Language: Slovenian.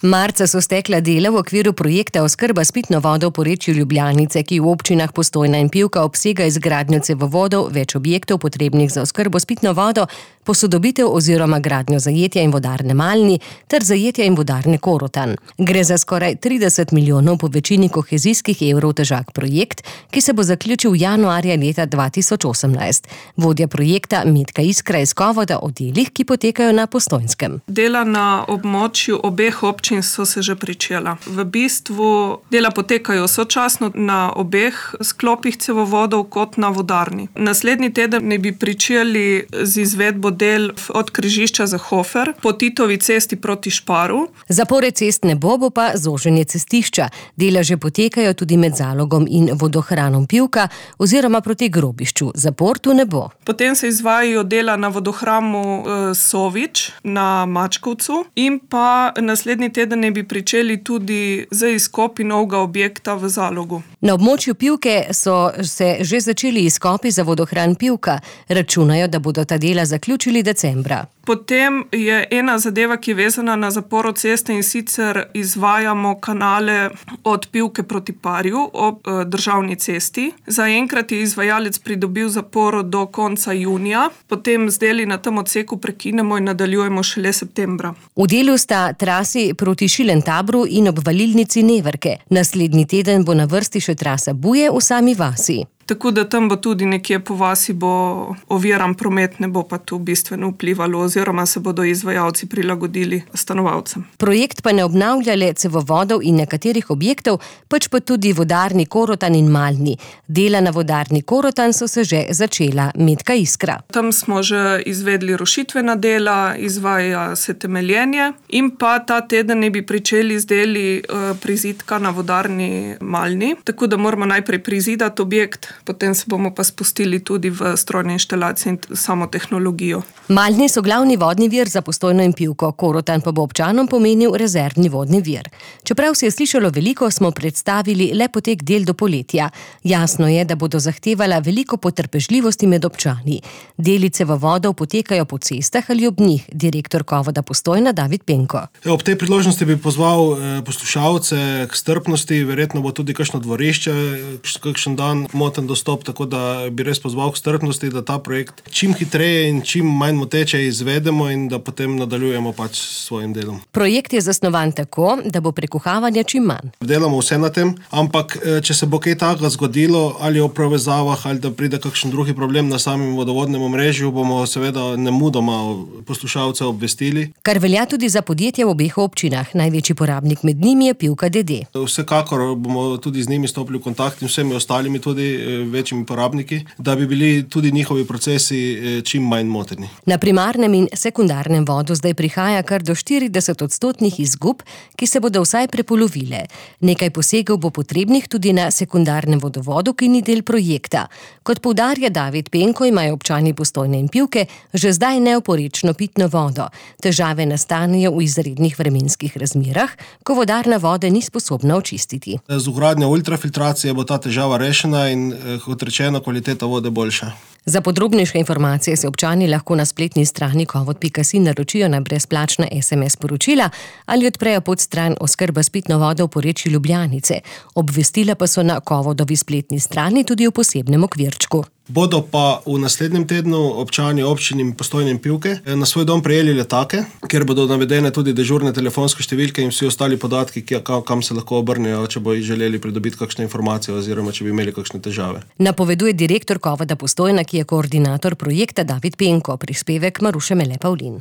Marca so stekla dela v okviru projekta Oskrba s pitno vodo v porečju Ljubljanice, ki v občinah Postojna in Pivka obsega izgradnjo cevovodov, več objektov potrebnih za oskrbo s pitno vodo, posodobitev oziroma gradnjo zajetja in vodarne Malni ter zajetja in vodarne Korotan. Gre za skoraj 30 milijonov po večini kohezijskih evrov težak projekt, ki se bo zaključil januarja leta 2018. Vodja projekta Metka Iskra iz Kovoda o delih, ki potekajo na Postojnskem. Dela na območju obeh občin so se že pričela. V bistvu dela potekajo sočasno na obeh sklopih cevovodov kot na vodarni. Naslednji teden naj bi pričeli z izvedbo del od križišča za Hofer po Titovi cesti proti Šparu. Zapore cest ne bo pa zoženje cestišča. Dela že potekajo tudi med Zalogom in vodohranom Pivka oziroma proti Grobišču. Zapor tu ne bo. Potem se izvajajo dela na vodohramu Sovič na Mačkovcu in pa naslednji teden naj bi pričeli tudi z izkopi novega objekta v Zalogu. Na območju Pivke so se že začeli izkopi za vodohran Pivka. Računajo, da bodo ta dela zaključili decembra. Potem je ena zadeva, ki je vezana na zaporo ceste, in sicer izvajamo kanale od Pivke proti Parju ob državni cesti. Zaenkrat je izvajalec pridobil zaporo do konca junija, potem z deli na tem odseku prekinemo in nadaljujemo šele septembra. V delu sta trasi proti Šilentabru in obvalilnici Neverke. Naslednji teden bo na vrsti še trasa Buje v sami vasi. Tako da tam bo tudi nekje po vasi bo oviran promet, ne bo pa tu bistveno vplivalo oziroma se bodo izvajalci prilagodili stanovalcem. Projekt pa ne obnavlja le cevovodov in nekaterih objektov, pač pa tudi vodarni Korotan in Malni. Dela na vodarni Korotan so se že začela. Metka Iskra. Tam smo že izvedli rušitvena dela, izvaja se temeljenje in pa ta teden ne bi pričeli z deli prizidka na vodarni Malni. Tako da moramo najprej prizidati objekt, potem se bomo pa spustili tudi v strojne inštalacije in samo tehnologijo. Malni so glavni vodni vir za Postojno in Pivko, Korotan pa bo občanom pomenil rezervni vodni vir. Čeprav se je slišalo veliko, smo predstavili le potek del do poletja. Jasno je, da bodo zahtevala veliko potrpežljivosti med občani. Deli cevovodov potekajo po cestah ali ob njih, direktor Kovoda Postojna David Penko. Ob tej priložnosti bi pozval poslušalce k strpnosti, verjetno bo tudi kakšno dvorišče, kakšen dan moten dostop, tako da bi res pozval k strpnosti, da ta projekt čim hitreje in čim manj moteče izvedemo in da potem nadaljujemo pač s svojim delom. Projekt je zasnovan tako, da bo prekuhavanja čim manj. Delamo vse na tem, ampak če se bo kaj takega zgodilo, ali o povezavah, ali da pride kakšen drugi problem na samem vodovodnem omrežju, bomo seveda nemudoma poslušalce obvestili. Kar velja tudi za podjetja v obeh občinah. Največji porabnik med njimi je Pivka d.d. Vsekakor bomo tudi z njimi stopili v kontakt in vsemi ostalimi tudi večjimi porabniki, da bi bili tudi njihovi procesi čim manj moteni. Na primarnem in sekundarnem vodu zdaj prihaja kar do 40% izgub, ki se bodo vsaj prepolovile. Nekaj posegov bo potrebnih tudi na sekundarnem vodovodu, ki ni del projekta. Kot poudarja David Penko, imajo občani Postojne in Pivke že zdaj neoporečno pitno vodo. Težave nastanejo v izrednih vremenskih razmerah, ko vodarna vode ni sposobna očistiti. Z vgradnjo ultrafiltracije bo ta težava rešena in kot rečeno, kvaliteta vode boljša. Za podrobnejše informacije se občani lahko na spletni strani kovod.si naročijo na brezplačna SMS sporočila ali odprejo podstran Oskrba s pitno vodo v porečju Ljubljanice. Obvestila pa so na Kovodovi spletni strani tudi v posebnem okvirčku. Bodo pa v naslednjem tednu občani občin Postojne in Pivke na svoj dom prejeli letake, kjer bodo navedene tudi dežurne telefonske številke in vsi ostali podatki, kam se lahko obrnejo, če bodo želeli pridobiti kakšne informacije oziroma če bi imeli kakšne težave. Napoveduje direktor Kovoda Postojna, ki je koordinator projekta David Penko, prispevek Maruše Mele Pavlin.